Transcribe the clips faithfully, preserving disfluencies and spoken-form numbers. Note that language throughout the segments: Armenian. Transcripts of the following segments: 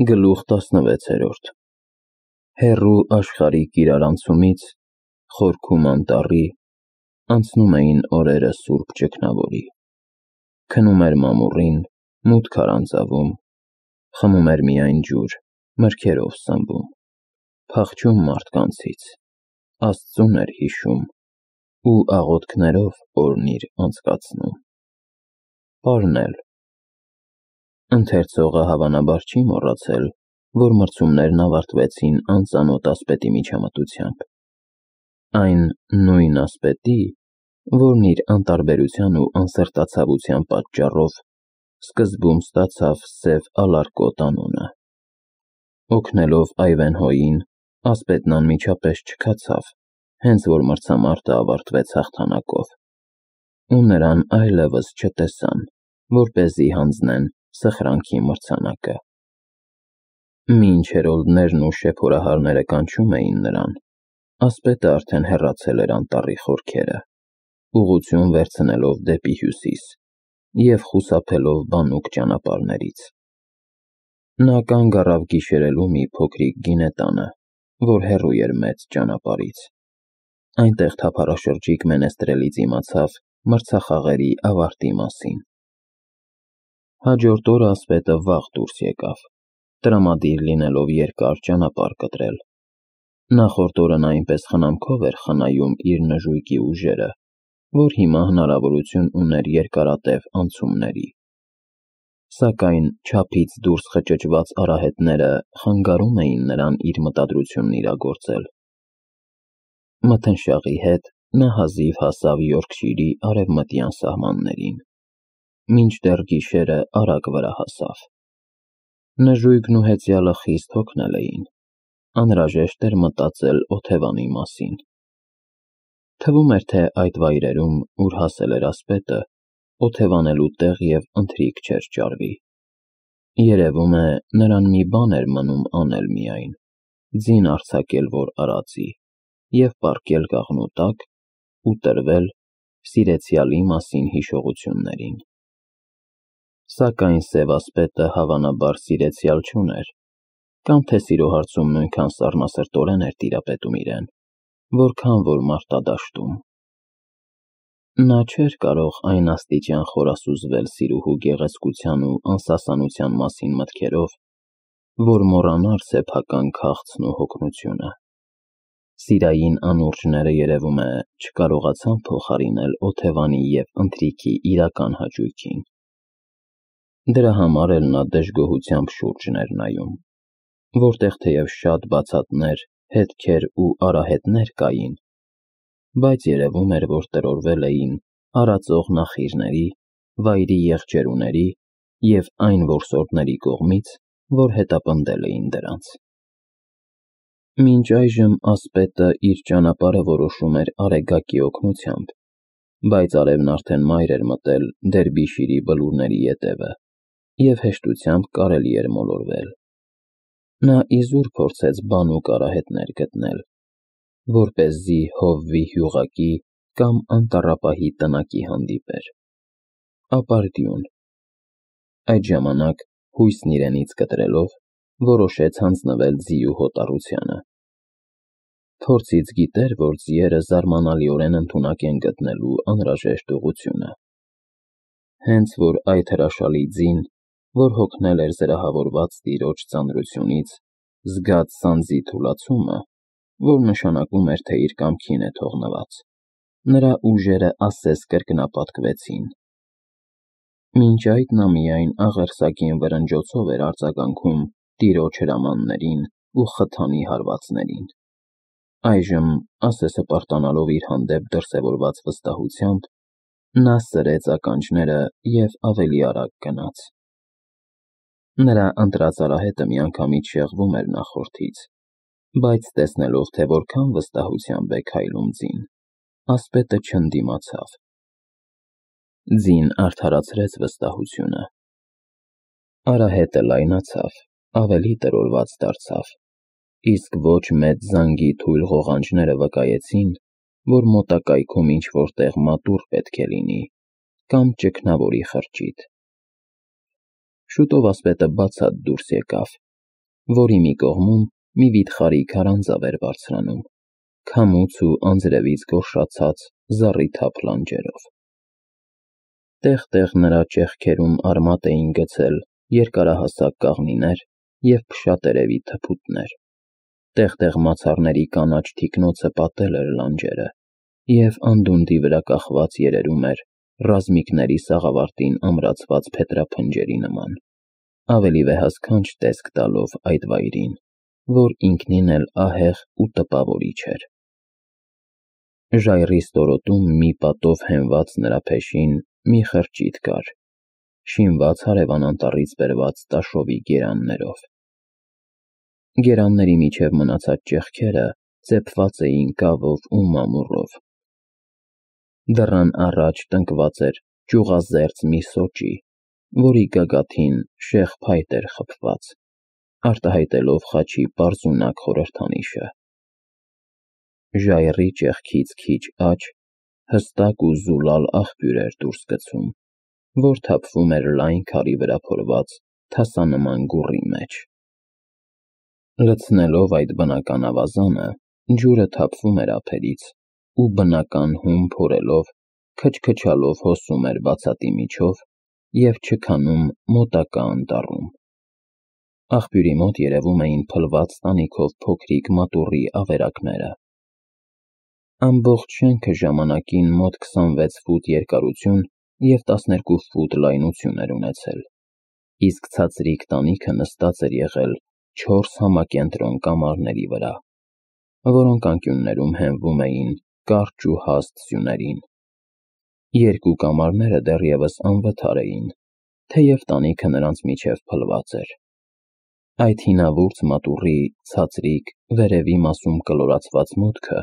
Գլուխ տասնվեցերորդ Հեռու աշխարհիկ իրարանցումից, խորքում անտառի, անցնում էին օրերը սուրբ ճգնավորի, քնում էր մամուռին, մութ քարանձավում, խմում էր միայն ջուր, մրգերով սնվում, փախչում մարդկանցից, Աստծուն էր հիշում ու աղոթքներով օրն իր անցկացնում։ Պարնել Ընթերցողը հավանաբար չի մոռացել, որ մրցումներն ավարտվեցին անծանոթ ասպետի միջամտությամբ։ Այն նույն ասպետի, որն իր անտարբերության ու անսրտացավության պատճառով սկզբում ստացավ Սև Ալարկոտ անունը։ Օգնելով Այվենհոյին, ասպետն անմիջապես չքացավ, հենց որ մրցամարտը ավարտվեց հաղթանակով, ու նրան այլևս չտեսան, որպեսզի հանձնեն սխրանքի մրցանակը։ Մինչ հերոլդներն ու շեփորահարները կանչում էին նրան, ասպետը արդեն հեռացել էր անտառի խորքերը, ուղղություն վերցնելով դեպի հյուսիս և խուսափելով բանուկ ճանապարհներից։ Նա կանգ առավ գիշերելու մի փոքրիկ գինետանը, որ հեռու էր մեծ ճանապարհից։ Այնտեղ թափառաշրջիկ մենեստրելից իմացավ մրցախաղերի ավարտի մասին։ Հաջորդ օրը ասպետը վաղ դուրս եկավ, տրամադիր լինելով երկար ճանապարհ կտրել։ Նախորդ օրը նա այնպես խնամքով էր խնայում իր նժույգի ուժերը, որ հիմա հնարավորություն ուներ երկարատև անցումների։ Սակայն չափից դուրս խճճված արահետները խանգարում էին նրան իր մտադրությունն իրագործել։ Մթնշաղի հետ նա հազիվ հասավ Յորքշիրի արևմտյան սահմաններին, մինչդեռ գիշերը արագ վրա հասավ։ Նժույգն ու հեծյալը խիստ հոգնել էին, անհրաժեշտ էր մտածել օթևանի մասին։ Թվում էր, թե այդ վայրերում, ուր հասել էր ասպետը, օթևանելու տեղ և ընթրիք չէր ճարվի։ Երևում է, նրան մի բան էր մնում անել միայն, ձին արձակել որ արածի և պառկել կաղնու տակ ու տրվել սիրեցյալի մասին հիշողություններին։ Սակայն սև ասպետը հավանաբար սիրեցյալ չուներ, կամ թե սիրո հարցում նույնքան սառնասրտորեն էր տիրապետում իրեն, որքան որ մարտադաշտում։ Նա չէր կարող այն աստիճան խորասուզվել սիրուհու գեղեցկության ու անսասանության մասին մտքերով, որ մոռանար սեփական քաղցն ու հոգնությունը։ Սիրային անուրջները, երևում է, չկարողացան փոխարինել օթևանի և ընթրիքի իրական հաճույքին։ Դրա համար էլ նա դժգոհությամբ շուրջն էր նայում, որտեղ թեև շատ բացատներ, հետքեր ու արահետներ կային, բայց երևում էր, որ տրորվել էին արածող նախիրների, վայրի եղջերուների և այն որսորդների կողմից, որ հետապնդել էին դրանց։ Մինչ այժմ ասպետը իր ճանապարհը որոշում էր Արեգակի օգնությամբ, բայց արևն արդեն մայր էր մտել Դերբիշիրի բլուրների ետևը, և հեշտությամբ կարելի էր մոլորվել։ Նա իզուր փորձեց բանուկ արահետներ գտնել, որպեսզի հովվի հյուղակի կամ անտառապահի տնակի հանդիպեր։ Ապարդյուն։ Այդ ժամանակ, հույսն իրենից կտրելով, որոշեց հանձնվել ձիու հոտառությանը։ Փորձից գիտեր, որ ձիերը զարմանալիորեն ընդունակ են գտնելու անհրաժեշտ ուղղությունը։ Հենց որ այդ հրաշալի ձին, որ հոգնել էր զրահավորված տիրոջ ծանրությունից, զգաց սանձի թուլացումը, որ նշանակում էր, թե իր կամքին է թողնված, նրա ուժերը ասես կրկնապատկվեցին։ Մինչ այդ նա միայն աղերսագին վրնջոցով էր արձագանքում տիրոջ հրամաններին ու խթանի հարվածներին։ Այժմ, ասես հպարտանալով իր հանդեպ դրսևորված վստահությամբ, նա սրեց ականջները և ավելի արագ գնաց։ Նրա ընտրած արահետը միանգամից շեղվում էր նախորդից, բայց տեսնելով, թե որքան վստահությամբ է քայլում ձին, ասպետը չընդդիմացավ։ Ձին արդարացրեց վստահությունը։ Արահետը լայնացավ, ավելի տրորված դարձավ, իսկ ոչ մեծ զանգի թույլ ղողանջները վկայեցին, որ մոտակայքում ինչ-որ տեղ մատուռ պետք է լինի, կամ ճգնավորի խրճիթ։ Շուտով ասպետը բացատ դուրս եկավ որի մի կողմում մի վիթխարի քարանձավ էր բարձրանում, քամուց ու անձրևից գորշացած զառիթափ լանջերով։ Տեղ-տեղ նրա ճեղքերում արմատ էին գցել երկարահասակ կաղնիներ և փշատերևի թփուտներ, տեղ-տեղ մացառների կանաչ թիկնոցը պատել էր լանջերը, և անդունդի վրա կախված երերում էր ռազմիկների սաղավարտին ամրացված փետրափնջերի նման, ավելի վեհասքանչ տեսք տալով այդ վայրին, որ ինքնին էլ ահեղ ու տպավորիչ էր։ Ժայռի ստորոտում մի պատով հենված նրա փեշին մի խրճիթ կար, շինված հարևան անտառից բերված տաշովի գերաններով։ Գերանների միջև մնացած ճեղքերը ծեփված էին կավով ու մամուռով։ Դռան առաջ տնկված էր ճյուղազերծ մի սոճի, որի գագաթին շեղ փայտ էր խփված, արտահայտելով խաչի պարզունակ խորհրդանիշը։ Ժայռի ճեղքից քիչ աջ հստակ ու զուլալ աղբյուր էր դուրս գցում, որ թափվում էր լայն քարի վրա փորված թասանման գուռի մեջ։ Լցնելով այդ բնական ավազանը, ջուրը թափվում էր ափերից ու բնական հում փորելով, քչքչալով հոսում էր բացատի միջով և չքանում մոտակա անտառում։ Աղբյուրի մոտ երևում էին փլված տանիքով փոքրիկ մատուռի ավերակները։ Ամբողջ շենքը ժամանակին մոտ քսանվեց ֆուտ երկարություն և տասներկու ֆուտ լայնություն էր ունեցել, իսկ ցածրիկ տանիքը նստած էր եղել չորս համակենտրոն կամարների վրա, որոնք անկյուններում հենվում էին կարճ ու հաստ սյուներին։ Երկու կամարները դեռևս անվթար էին, թեև տանիքը նրանց միջև փլված էր։ Այդ հինավուրց մատուռի ցածրիկ, վերևի մասում կլորացված մուտքը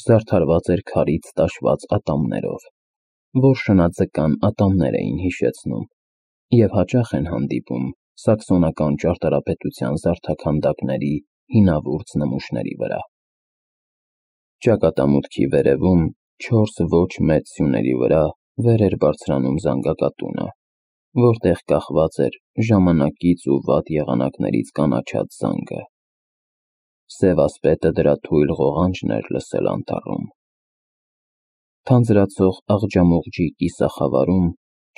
զարդարված էր քարից տաշված ատամներով, որ շնաձկան ատամներ էին հիշեցնում և հաճախ են հանդիպում սաքսոնական ճարտարապետության զարդաքանդակների հինավուրց նմուշների վրա։ Ճակատամուտքի վերևում չորս ոչ մեծ սյուների վրա վեր էր բարձրանում զանգակատունը, որտեղ կախված էր ժամանակից ու վատ եղանակներից կանաչած զանգը։ Սև ասպետը դրա թույլ ղողանջն էր լսել անտառում։ Թանձրացող աղջամուղջի կիսախավարում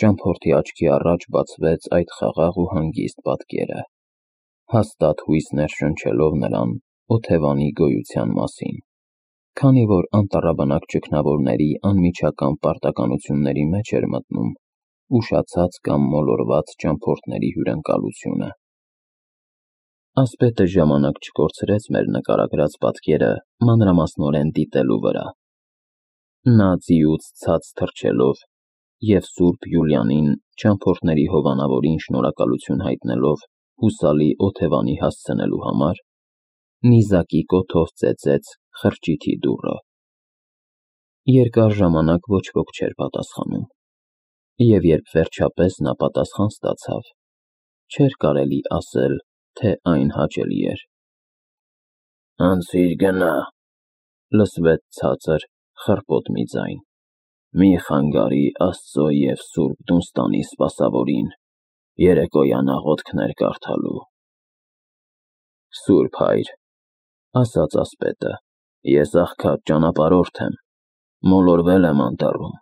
ճամփորդի աչքի առաջ բացվեց այդ խաղաղ ու հանգիստ պատկերը, հաստատ հույս ներշնչելով նրան օթևանի գոյության մասին, քանի որ անտառաբնակ ճգնավորների անմիջական պարտականությունների մեջ էր մտնում ուշացած կամ մոլորված ճամփորդների հյուրընկալությունը։ Ասպետը ժամանակ չկորցրեց մեր նկարագրած պատկերը մանրամասնորեն դիտելու վրա։ Նա ձիուց ցած թռչելով և Սուրբ Յուլիանին ճամփորդների հովանավորին շնորհակալություն հայտնելով հուսալի օթևանի հասցնելու համար, նիզակի կոթով ծեծեց խրճիթի դուռը։ Երկար ժամանակ ոչ ոք չէր պատասխանում, և երբ վերջապես նա պատասխան ստացավ, չէր կարելի ասել, թե այն հաճելի էր։ «Անցիր գնա», լսվեց ցածր, խռպոտ մի ձայն, «մի խանգարի Աստծո և Սուրբ Դունստանի սպասավորին երեկոյան աղոթքներ կարդալու»։ «Սուրբ Հայր», ասաց ասպետը, «ես աղքատ ճանապարհորդ եմ, մոլորվել եմ անտառում,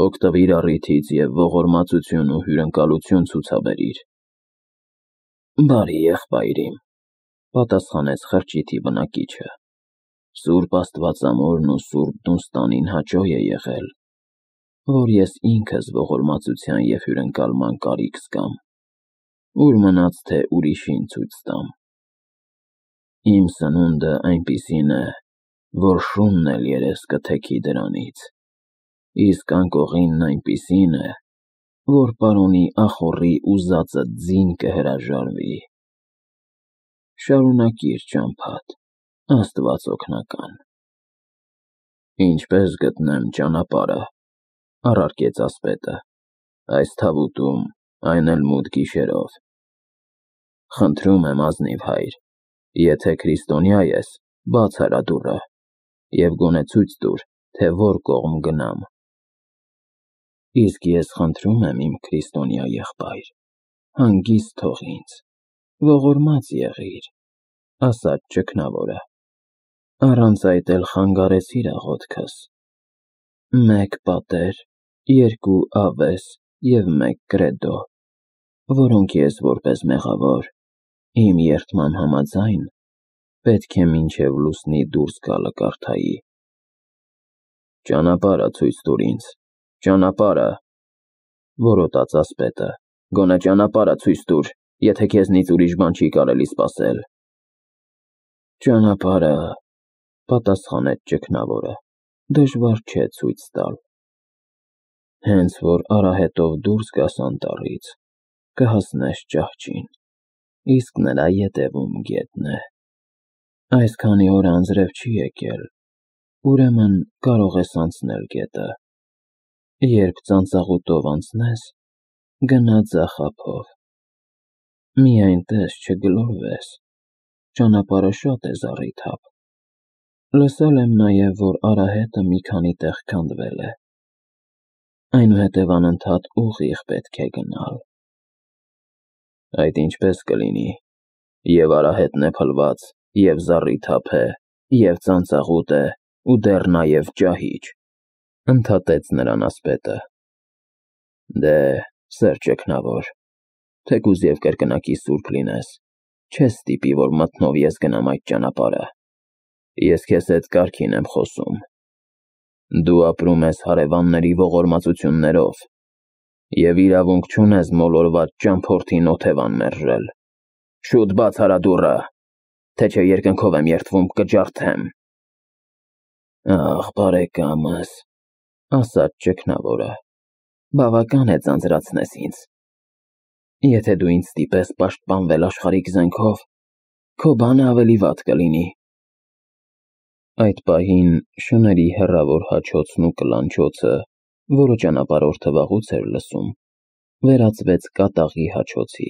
օգտվիր առիթից և ողորմածություն ու հյուրընկալություն ցուցաբերիր»։ «Բարի եղբայր իմ», պատասխանեց խրճիթի բնակիչը, «Սուրբ Աստվածամորն ու Սուրբ Դունստանին հաճո է եղել, որ ես ինքս ողորմածության և հյուրընկալման կարիք զգամ, ուր մնաց թե ուրիշին ցույց տամ։ Իմ սնունդը այնպիսին է, որ շունն էլ երես կթեքի դրանից, իսկ անկողինն այնպիսին է, որ պարոնի ախոռի ուզածդ ձին կհրաժարվի։ Շարունակիր ճամփադ, Աստված օգնական»։ «Ինչպե՞ս գտնեմ ճանապարհը», առարկեց ասպետը, «այս թավուտում, այն էլ մութ գիշերով»։ «Խնդրում եմ, ազնիվ հայր, եթե քրիստոնյա ես, բաց արա դուռը և գոնե ցույց տուր, թե որ կողմ գնամ»։ «Իսկ ես խնդրում եմ, իմ քրիստոնյա եղբայր, հանգիստ թող ինձ, ողորմած եղիր, ասաց ճգնավորը, առանց այդ էլ խանգարեցիր աղոթքս, մեկ պատեր, երկու ավես և մեկ կրեդո, որոնք ես որպես մեղավոր, իմ երդման համաձայն, պետք է մինչև լուսնի դուրս գալը կարդայի։ Ճանապարհը ցույց տուր ինձ, ճանապարհը, որոտաց ասպետը, գոնե ճանապարհը ցույց տուր, եթե քեզնից ուրիշ բան չի կարելի սպասել։ Ճանապարհը, պատասխանեց ճգնավորը, դժվար չէ ցույց տալ։ Հենց որ արահետով դուրս գաս անտառից, կհասնես ճահճին, իսկ նրա ետևում գետն է։ Այսքանի օր անձրև չի եկել, ուրեմն կարող ես անցնել գետը։ Երբ ծանծաղուտով անցնես, գնա ձախ ափով։ Միայն տես չգլորվես, ճանապարհը շատ է զառիթափ։ Լսել եմ նաև, որ արահետը մի քանի տեղ քանդվել է, այնուհետև անընդհատ ուղիղ պետք է գնալ։ Այդ ինչպես կլինի, և արահետն է փլված, և զառիթափ է, և ծանծաղուտ է, ու դեռ նաև ճահիճ, ընդհատեց նրան ասպետը։ Դե, սեր ճգնավոր, թեկուզ և կրկնակի սուրբ լինես, չես ստիպի, որ մթնով ես գնամ այդ ճանապարհը։ Ես քեզ հետ կարգին եմ խոսում։ Դու ապրում ես հարևանների ողորմածություններով և իրավունք չունես մոլորված ճամփորդին օթևան մերժել։ Շուտ բաց արա դուռը, թե չէ երկնքով եմ երդվում, կջարդեմ։ Ախ, բարեկամս, ասաց ճգնավորը, բավական է ձանձրացնես ինձ։ Եթե դու ինձ ստիպես պաշտպանվել աշխարհիկ զենքով, քո բանը ավելի վատ կլինի։ Այդ պահին շների հեռավոր հաչոցն ու կլանչոցը, որը ճանապարհորդը վաղուց էր լսում, վերածվեց կատաղի հաչոցի։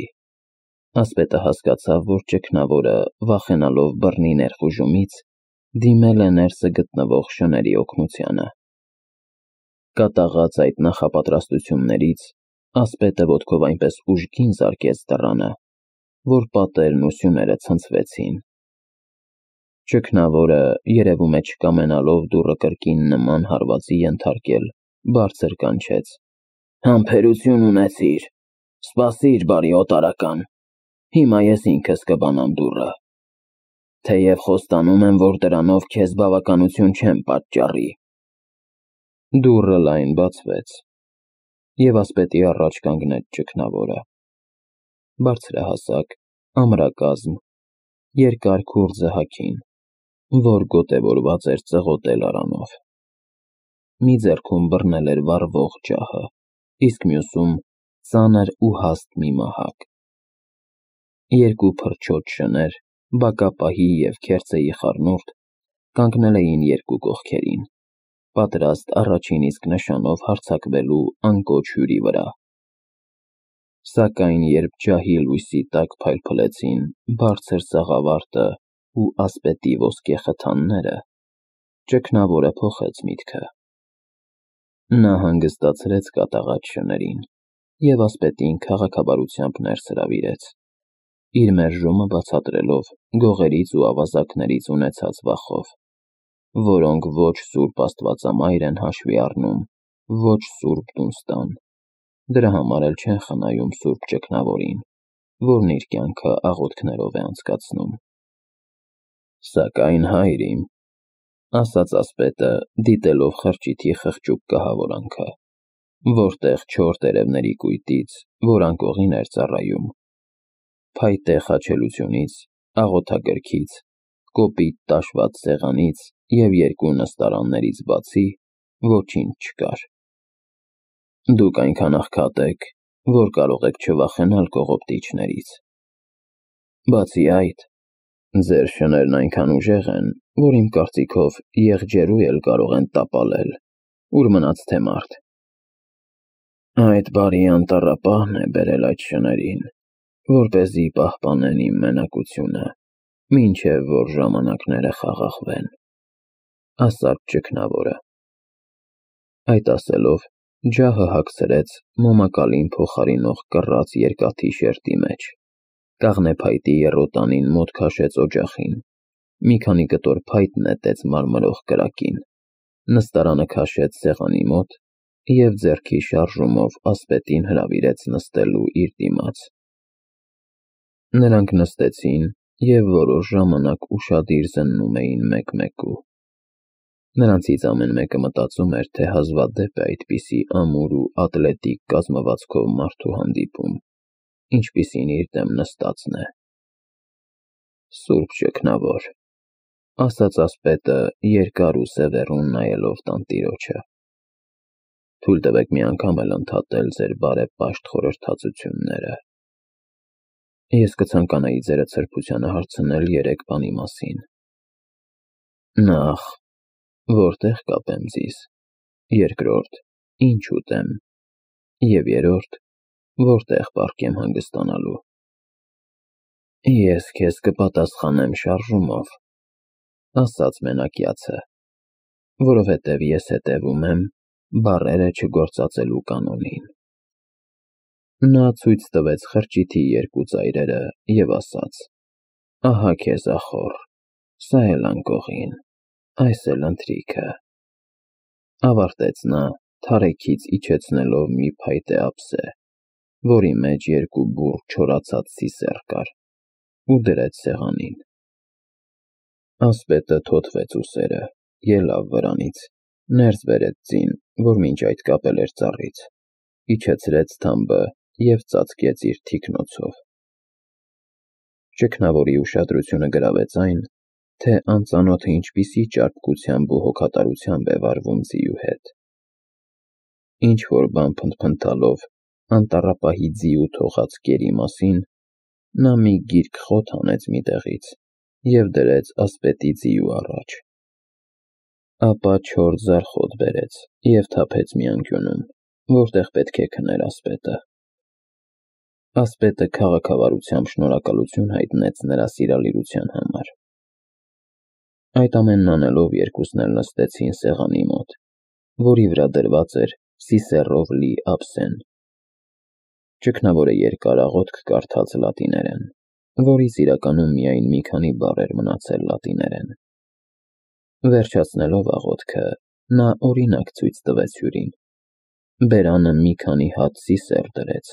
Ասպետը հասկացավ, որ ճգնավորը, վախենալով բռնի ներխուժումից, դիմել է ներսը գտնվող շների օգնությանը։ Կատաղած այդ նախապատրաստություններից, ասպետը ոտքով այնպես ուժգին զարկեց դռանը, որ պատերն ու սյուները ցնցվեցին։ Ճգնավորը, երևում է չկամենալով դուռը կրկին նման հարվածի ենթարկել, բարձր կանչեց. Համբերություն ունեցիր, սպասիր, բարի օտարական, հիմա ես ինքս կբանամ դուռը, թեև խոստանում եմ, որ դրանով քեզ բավականություն չեմ պատճառի։ Դուռը լայն բացվեց, և ասպետի առաջ կանգնեց ճգնավորը։ Բարձրահասակ, ամրակազմ, երկար քուրձը հագին, որ գոտևորված էր ծղոտել արանով։ Մի ձեռքում բռնել էր վառվող ջահը, իսկ մյուսում ծանր ու հաստ մի մահակ։ Երկու փրչոտ շներ, բակապահի և քերծեի խառնուրդ, կանգնել էին երկու կողքերին, պատրաստ առաջին իսկ նշանով հարձակվելու անկոչ հյուրի վրա։ Սակայն երբ ջահի լույսի տակ փայլփլեցին բարձր սաղավարտը ու ասպետի ոսկե խթանները, ճգնավորը փոխեց միտքը։ Նա հանգստացրեց կատաղած շներին և ասպետին քաղաքավարությամբ ներս հրավիրեց, իր մերժումը բացատրելով գողերից ու ավազակներից ունեցած վախով, որոնք ոչ սուրբ Աստվածամայր են հաշվի առնում, ոչ սուրբ Դունստան, դրա համար էլ չեն խնայում սուրբ ճգնավորին, որն իր կյանքը աղոթքներով է անցկացնում։ Սակայն հայր իմ, ասաց ասպետը, դիտելով խրճիթի խղճուկ կահավորանքը, որտեղ չոր տերևների կույտից, որ անկողին էր ծառայում, փայտե խաչելությունից, աղոթագրքից, կոպիտ տաշված սեղանից և երկու նստարաններից բացի ոչինչ չկար։ Դուք այնքան աղքատ եք, որ կարող եք չվախենալ կողոպտիչներից։ Բացի այդ, ձեր շներն այնքան ուժեղ են, որ իմ կարծիքով եղջերու էլ կարող են տապալել, ուր մնաց թե մարդ։ Այդ բարի անտառապահն է բերել այդ շներին, որպեսզի պահպանեն իմ մենակությունը, մինչև որ ժամանակները խաղաղվեն, ասաց ճգնավորը։ Այդ ասելով, ջահը հագցրեց մոմակալին փոխարինող կռած երկաթի շերտի մեջ, Կաղնեփայտի եռոտանին մոտ քաշեց օջախին, մի քանի կտոր փայտ նետեց մարմրող կրակին, նստարանը քաշեց սեղանի մոտ և ձեռքի շարժումով ասպետին հրավիրեց նստելու իր դիմաց։ Նրանք նստեցին և որոշ ժամանակ ուշադիր զննում էին մեկ-մեկու։ Նրանցից ամեն մեկը մտածում էր, թե հազվադեպ է այդպիսի ամուր ու ատլետիկ կազմվածքով մարդու հանդիպում, ինչպիսին իր դեմ նստածն է։ «Սուրբ Շքնավոր», ասաց ասպետը, երկար ու սևեռուն նայելով տանտիրոջը, «թույլ տվեք մի անգամ էլ ընդհատել ձեր բարեպաշտ խորհրդածությունները։ Ես կցանկանայի ձերդ սրբությանը հարցնել երեք բանի մասին. Նախ, որտե՞ղ կապեմ ձեզ, երկրորդ, ինչ ուտեմ, և երրորդ, որտե՞ղ պառկեմ հանգստանալու»։ «Ես քեզ կպատասխանեմ շարժումով», ասաց մենակյացը, «որովհետև ես հետևում եմ բառերը չգործածելու կանոնին»։ Նա ցույց տվեց խրճիթի երկու ծայրերը և ասաց. «Ահա քեզ ախոռ, սա էլ անկողին, այս էլ ընթրիքը»։ Ավարտեց նա, թարեքից իջեցնելով մի փայտե ափսե, որի մեջ երկու բուռ չորացած սիսեռ կար, ու դրեց սեղանին։ Ասպետը թոթվեց ուսերը, ելավ վրանից, ներս բերեց ձին, որ մինչ այդ կապել էր ծառից, իջեցրեց թամբը և ծածկեց իր թիկնոցով։ Շքնավորի ուշադրությունը գրավեց այն, թե անծանոթը ինչպիսի ճարպկությամբ ու հոգատարությամբ է վարվում ձիու հետ։ Ինչ-որ բան փնթփնթալով անտառապահի ձիու թողած կերի մասին, նա մի գիրք խոթ հանեց մի տեղից և դրեց ասպետի ձիու առաջ։ Ապա չորս ձարխոտ բերեց և թափեց մի անկյունում, որտեղ պետք է քներ ասպետը։ Ասպետը քաղաքավարությամբ շնորհակալություն հայտնեց նրա սիրալիրության համար։ Այդ ամենն անելով երկուսն էլ նստեցին սեղանի մոտ, որի վրա դրված էր սիսեռով լի ափսեն։ Շքնավորը երկար աղոթք կարդաց լատիներեն, որից իրականում միայն մի քանի բառ էր մնացել լատիներեն։ Վերջացնելով աղոթքը, նա օրինակ ցույց տվեց հյուրին։ Բերանը մի քանի հատ սիսեռ դրեց,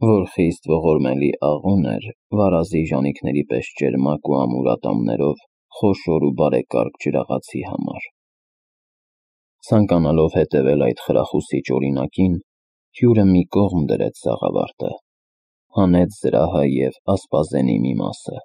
որ խիստ ողորմելի աղոն էր վարազի ժանիքների պես ճերմակ ու ամուր ատամներով խոշոր ու բարեկարգ ջրաղացի համար։ Ցանկանալով հետևել այդ խրախուսիչ օրինակին, հյուրը մի կողմ դրեց սաղավարտը, հանեց զրահը և ասպազենի մի մասը,